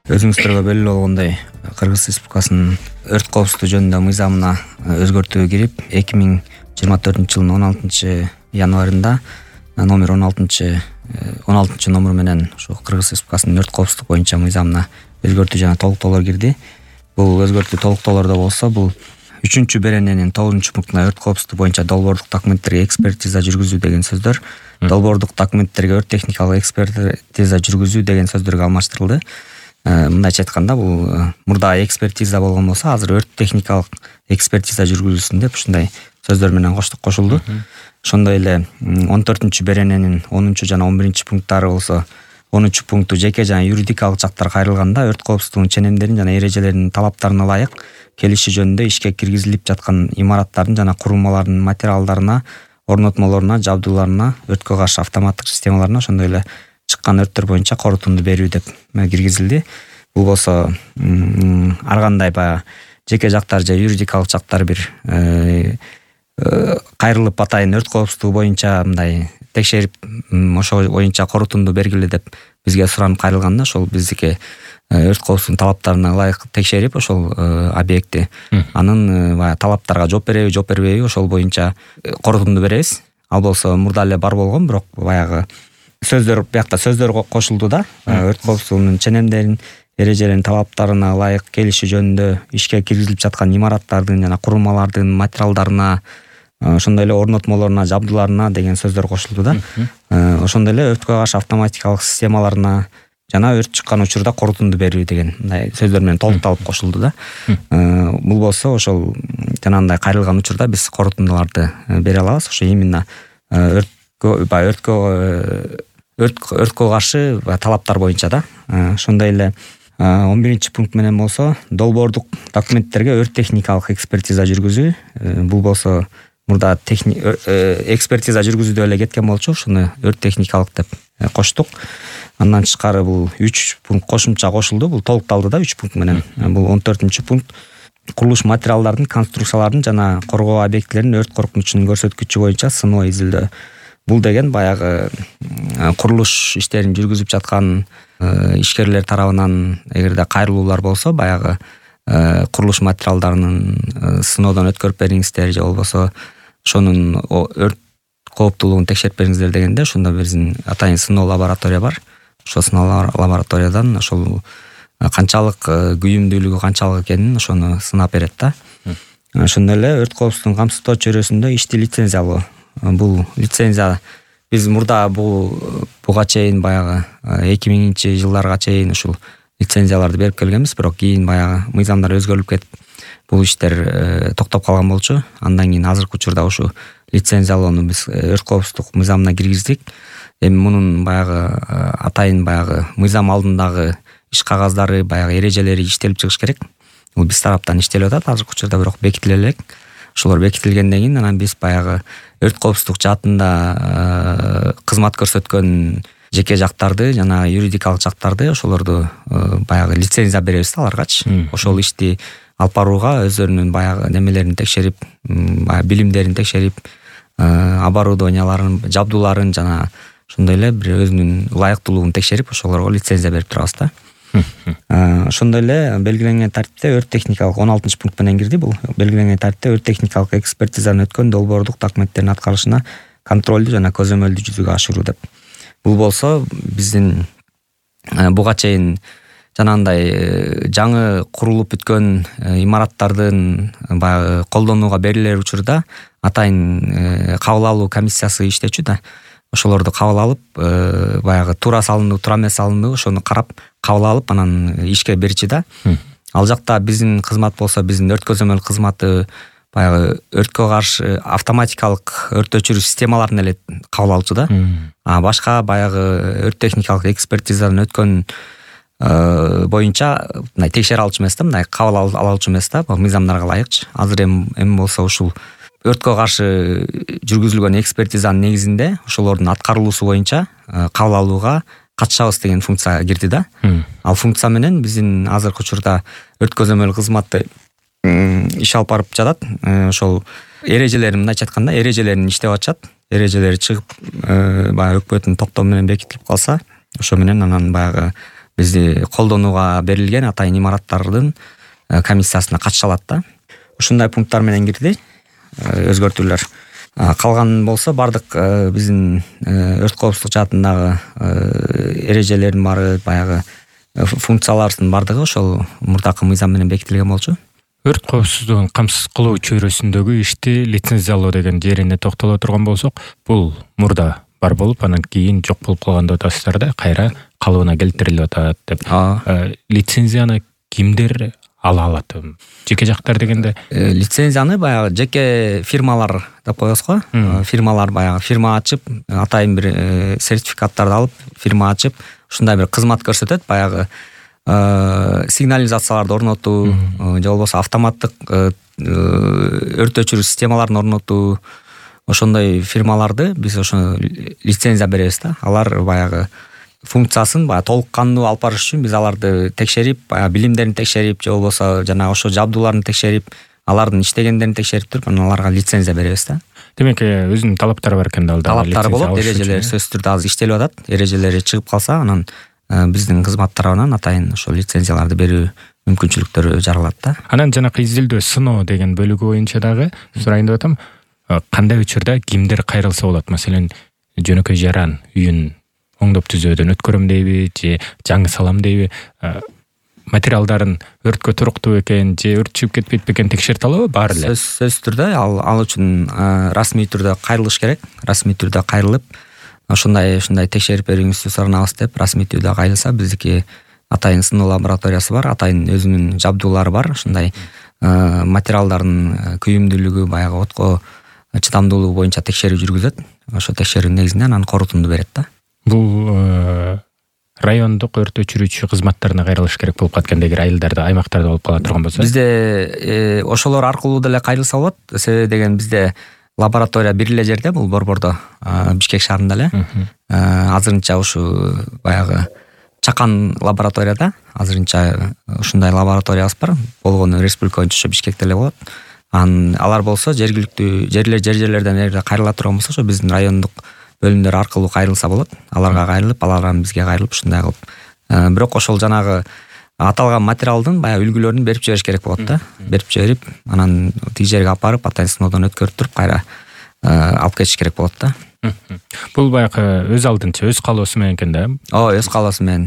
Өзүңүздөргө белгилүү болгондой, Кыргыз Республикасынын өрт коопсуздугу жөнүндө мыйзамына өзгөртүү кирип, 2024-жылдын 16-январында номер 16 номер менен ошо Кыргыз Республикасынын өрт коопсуздук боюнча мыйзамына өзгөртүү жана толуктоолор кирди. Бул өзгөртүү толуктоолордо болсо, бул 3-берененин 9-пунктуна өрт коопсуздугу боюнча долбоордук документтерге экспертиза жүргүзүү деген сөздөр, долбоордук документтерге өрт техникалык экспертиза жүргүзүү деген сөздөргө алмаштырылды. Мындайча айтканда, бул мурда экспертиза болгон болсо, азыр өрт техникалык экспертиза жүргүзүлсүн деп ушундай сөздөр менен кошулду. Ошондой эле 14-берененин 10 жана 11-пункттары болсо, 10-пункту жеке жана юридикалык жактар кайрылганда өрт коопсуздугунун ченемдерин жана эрежелеринин талаптарына ылайык келиши жөнүндө ишке киргизилип жаткан имараттардын жана курулмалардын материалдарына, орнотмолоруна, жабдууларына, өрткө каршы автоматтык системаларына, ошондой эле чыккан өрттөр боюнча корутунду берүү деп киргизилди. Бул болсо ар кандай жеке жактар же юридикалык жактар бир кайрылып атайын өрт коопсуздугу боюнча мындай текшерип, ошо боюнча корутунду бергиле деп бизге суранып кайрылганда, ошол биздики өрт коопсуздугунун талаптарына ылайык текшерип, ошол объектти анын талаптарга жооп береби, жооп бербейби, ошол боюнча корутунду беребиз. Ал болсо мурда эле бар болгон, бирок баягы сөздөр, биякта сөздөр кошулду да. Өрт коопсуздугунун ченемдерин, эрежелеринин талаптарына ылайык келиши жөнүндө ишке киргизилип жаткан имараттардын жана курулмалардын материалдарына, ошондой эле орнотмолоруна, жабдууларына деген сөздөр кошулду да. Ошондой эле өрткө каршы автоматикалык системаларына жана өрт чыккан учурда корутунду берүү деген мындай сөздөр менен толукталып кошулду да. Бул болсо ошол жанагындай кайрылган учурда биз корутундуларды бере алабыз. Ошо именно өрткө каршы талаптар боюнча да. Ошондой эле 11-пункт менен болсо, долбоордук документтерге өрт техникалык экспертиза жүргүзүү. Бул болсо мурда экспертиза жүргүзүүдө эле кеткен болчу, ошону өрт техникалык деп коштук. Андан тышкары бул 3 пункт кошумча кошулду. Бул толукталды да 3 пункт менен. Бул 14-пункт. Курулуш материалдардын, конструкциялардын жана коргоо объектилеринин өрт коркунучунун көрсөткүчү боюнча сыноо изилдөө. Бул деген баягы курулуш иштерин жүргүзүп жаткан ишкерлер тарабынан эгерде кайрылуулар болсо, баягы курулуш материалдарынын сыноодон өткөрүп бериңиздер же болбосо ошонун өрт кооптуулугун текшерип бериңиздер дегенде, ошондо биздин атайын сыноо лаборатория бар. Ошол сыноо лабораториядан ошол канчалык күйүмдүүлүгү канчалык экенин ошону сынап берет да. Ошондой эле өрт коопсуздугун камсыздоо чөйрөсүндө ишти лицензиялоо. Бул лицензия биз мурда буга чейин баягы 2000-жылдарга чейин ушул лицензияларды берип келгенбиз, бирок кийин баягы мыйзамдар өзгөрүлүп кетип бул иштер токтоп калган болчу. Андан кийин азыркы учурда ушу лицензиялоону биз өрт коопсуздук мыйзамына киргиздик. Эми мунун баягы атайын баягы мыйзам алдындагы иш кагаздары, баягы эрежелери иштелип чыгыш керек. Бул биз тараптан иштелип атат азыркы учурда, бирок бекитиле элек. Ошолор бекитилгенден кийин анан биз баягы өрт коопсуздук жаатында кызмат көрсөткөн жеке жактарды жана юридикалык жактарды, ошолорду баягы лицензия беребиз аларгачы. Ошол ишти алып барууга өздөрүнүн баягы немелерин текшерип, билимдерин текшерип, оборудованияларын, жабдууларын жана ошондой эле бир өзүнүн ылайыктуулугун текшерип, ошолорго лицензия берип турабыз да. Ошондой эле белгиленген тартипте өрт техникалык 16-пункт менен кирди. Бул белгиленген тартипте өрт техникалык экспертизаны өткөн долбоордук документтердин аткарылышына контролду жана көзөмөлдү жүзүгө ашыруу деп. Бул болсо биздин буга чейин жанагындай жаңы курулуп бүткөн имараттардын баягы колдонууга берилер учурда атайын кабыл алуу комиссиясы иштечү да. Ошолорду кабыл алып, баягы туура салынды, туура эмес салынды, ошону карап кабыл алып, анан ишке берчи да. Ал жакта биздин кызмат болсо, биздин өрт көзөмөл кызматы баягы өрткө каршы автоматикалык өрт өчүрүү системаларын эле кабыл алчу да. Башка баягы өрт техникалык экспертизадан өткөн боюнча мындай текшере алчу эмес да, мындай кабыл алчу эмес да, мыйзамдарга ылайыкчы. Азыр эми болсо ушул өрткө каршы жүргүзүлгөн экспертизанын негизинде ошолордун аткарылуусу боюнча кабыл алууга катышабыз деген функция кирди да. Ал функция менен биздин азыркы учурда өрт көзөмөл кызматы иш алып барып жатат. Ошол эрежелерин, мындайча айтканда, эрежелерин иштеп атышат. Эрежелери чыгып, баягы өкмөттүн токтому менен бекитилип калса, ошо менен анан баягы бизди колдонууга берилген атайын имараттардын комиссиясына катыша алат да. Ушундай пункттар менен кирди өзгөртүүлөр. Калган болсо бардык биздин өрт коопсуздук жаатындагы эрежелердин баары, баягы функцияларыбыздын бардыгы ошол мурдакы мыйзам менен бекитилген болчу. Өрт коопсуздугун камсыз кылуу чөйрөсүндөгү ишти лицензиялоо деген жерине токтоло турган болсок, бул мурда бар болуп, анан кийин жок болуп калган деп атасыздар да, кайра калыбына келтирилип атат деп. Лицензияны кимдер ала алат? Жеке жактар дегенде лицензияны баягы жеке фирмалар деп коебуз го. Фирмалар баягы фирма ачып, атайын бир сертификаттарды алып, фирма ачып, ушундай бир кызмат көрсөтөт. Баягы сигнализацияларды орнотуу, же болбосо автоматтык өрт өчүрүү системаларын орнотуу, ошондой фирмаларды биз ошо лицензия беребиз да. Алар баягы функциясын баягы толук кандуу алып барыш үчүн биз аларды текшерип, баягы билимдерин текшерип, же болбосо жана ошо жабдууларын текшерип, алардын иштегендерин текшерип туруп, анан аларга лицензия беребиз да. Демек, өзүнүн талаптары бар экен да, алда талаптары болот, эрежелери сөзсүз түрдө азыр иштелип атат. Эрежелери чыгып калса, анан биздин кызмат тарабынан атайын ошол лицензияларды берүү мүмкүнчүлүктөрү жаралат да. Анан жанакы изилдөө сыноо деген бөлүгү боюнча дагы сурайын деп атам. Кандай учурда кимдер кайрылса болот? Маселен, жөнөкөй жаран үйүн оңдоп түзөөдөн өткөрөм дейби, же жаңы салам дейби, материалдарын өрткө туруктуу экен, же өрт чыгып кетпейт бекен текшерте алабы? Баары эле сөзсүз түрдө ал үчүн расмий түрдө кайрылыш керек. Расмий түрдө кайрылып, ушундай текшерип берүүңүздү суранабыз деп расмий түрдө кайрылса, биздики атайын сыноо лабораториясы бар, атайын өзүнүн жабдуулары бар. Ушундай материалдардын күйүмдүүлүгү, баягы отко чыдамдуулугу боюнча текшерүү жүргүзөт. Ошо текшерүүнүн негизинде анан корутунду берет да. Бул райондук өрт өчүрүүчү кызматтарына кайрылыш керек болуп калат экен, эгер айылдарда, аймактарда болуп кала турган болсо. Бизде ошолор аркылуу деле кайрылса болот. Себеби деген бизде лаборатория бир эле жерде, бул Борбордо, Бишкек шаарында эле. Азырынча ушу баягы Чакан лабораторияда азырынча ушундай лабораториябыз бар. Болгону республика боюнча ошо Бишкекте эле болот. Алар болсо жергиликтүү жерлерден эгер кайрыла турган болсо, ошо биздин райондук бөлүмдөр аркылуу кайрылса болот. Аларга кайрылып, алардан бизге кайрылып, ушундай кылып. Бирок ошол жанагы аталган материалдын баягы үлгүлөрүн берип жибериш керек болот да. Берип жиберип, анан тиги жерге алып барып, атайын сыноодон өткөрүп туруп, кайра алып кетиш керек болот да. Бул баягы өз алдынча, өз каалоосу менен экен да. Өз каалоосу менен.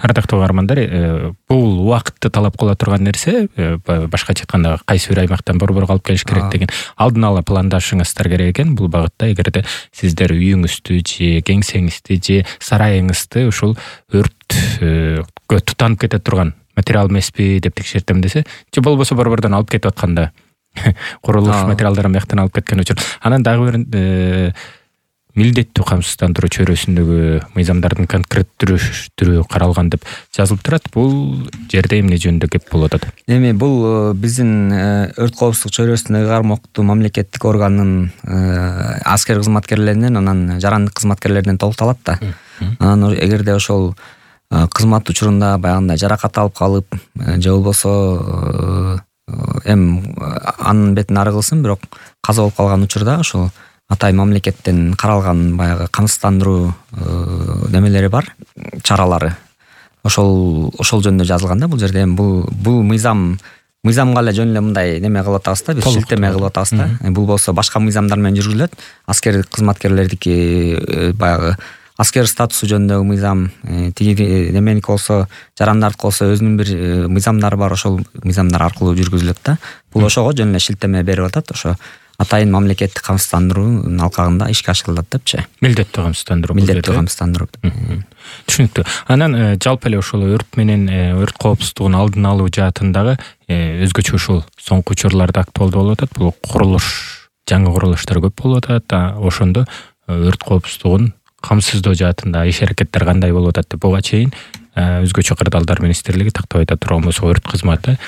Ардактуу каармандар, бул убакытты талап кыла турган нерсе. Башкача айтканда, кайсы бир аймактан борборго алып келиш керек деген алдын ала пландашыңыздар керек экен. Бул багытта эгерде сиздер үйүңүздү же кеңсеңизди же сарайыңызды ушул өрткө тутанып кете турган материал эмеспи деп текшертем десе, же болбосо борбордон алып кетип атканда курулуш материалдарын бияктан алып кеткен учур, анан дагы бир милдеттүү камсыздандыруу чөйрөсүндөгү мыйзамдардын конкреттүү каралган деп жазылып турат. Бул жерде эмне жөнүндө кеп болуп атат? Эми бул биздин өрт коопсуздук чөйрөсүндөгү кармоктуу мамлекеттик органдын аскер кызматкерлеринен, анан жарандык кызматкерлеринен толукталат да. Анан эгерде ошол кызмат учурунда баягындай жаракат алып калып, же болбосо анын бетин ары кылсын, бирок каза болуп калган учурда ошол атайын мамлекеттен каралган баягы камсыздандыруу немелери бар, чаралары. Ошол жөнүндө жазылган да бул жерде. Бул мыйзамга эле жөн эле мындай неме кылып атабыз да, биз шилтеме кылып атабыз да. Бул болсо башка мыйзамдар менен жүргүзүлөт. Аскер кызматкерлердики баягы аскер статусу жөнүндөгү мыйзам, тиги неменики болсо, жарандардыкы болсо өзүнүн бир мыйзамдары бар, ошол мыйзамдар аркылуу жүргүзүлөт да. Бул ошого жөн эле шилтеме берип атат, ошо атайын мамлекеттик камсыздандыруунун алкагында ишке ашырылат депчи. Милдеттүү камсыздандыруу. Милдеттүү камсыздандыруу. Түшүнүктүү. Анан жалпы эле ошол өрт менен өрт коопсуздугун алдын алуу жаатындагы өзгөчө ушул соңку учурларда актуалдуу болуп атат. Бул курулуш, жаңы курулуштар көп болуп атат. Ошондо өрт коопсуздугун камсыздоо жаатында иш-аракеттер кандай болуп атат деп буга чейин өзгөчө кырдаалдар министрлиги тактап айта турган болсо, өрт кызматы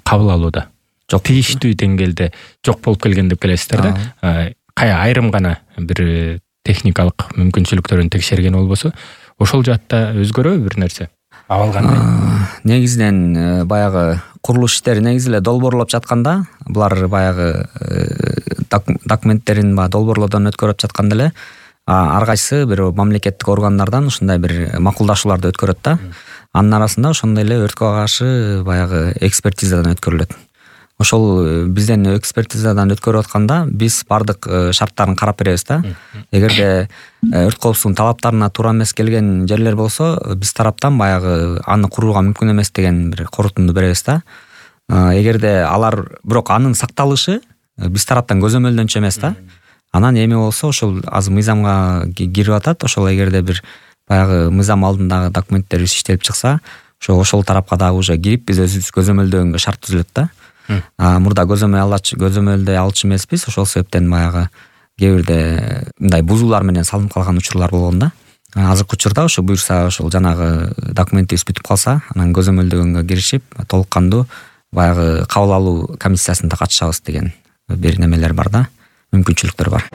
кабыл алууда тийиштүү деңгээлде жок болуп келген деп келесиздер да. Айрым гана бир техникалык мүмкүнчүлүктөрүн текшерген болбосо, ошол жаатта өзгөрөбү бир нерсе? Абал кандай? Негизинен баягы курулуш иштери негизи эле долбоорлоп жатканда, булар баягы документтерин долбоорлоодон өткөрүп жатканда эле ар кайсы бир мамлекеттик органдардан ушундай бир макулдашууларды өткөрөт да. Анын арасында ошондой эле өрткө каршы баягы экспертизадан өткөрүлөт. Ошол бизден экспертизадан өткөрүп атканда биз бардык шарттарын карап беребиз да. Эгерде өрт коопсуздугунун талаптарына туура эмес келген жерлер болсо, биз тараптан баягы аны курууга мүмкүн эмес деген бир корутунду беребиз да. Эгерде алар бирок анын сакталышы биз тараптан көзөмөлдөнчү эмес да. Анан эми болсо ошол азыр мыйзамга кирип атат. Ошол эгерде бир баягы мыйзам алдындагы документтерибиз иштелип чыкса, ошол тарапка дагы уже кирип биз өзүбүз көзөмөлдөгөнгө шарт түзүлөт да. Мурда көзөмөлдөй алчу эмеспиз. Ошол себептен баягы кээ бирде мындай бузуулар менен салынып калган учурлар болгон да. Азыркы учурда ошо буюрса ошол жанагы документибиз бүтүп калса, анан көзөмөлдөгөнгө киришип, толук кандуу баягы кабыл алуу комиссиясында катышабыз деген бир немелер бар да, мүмкүнчүлүктөр бар.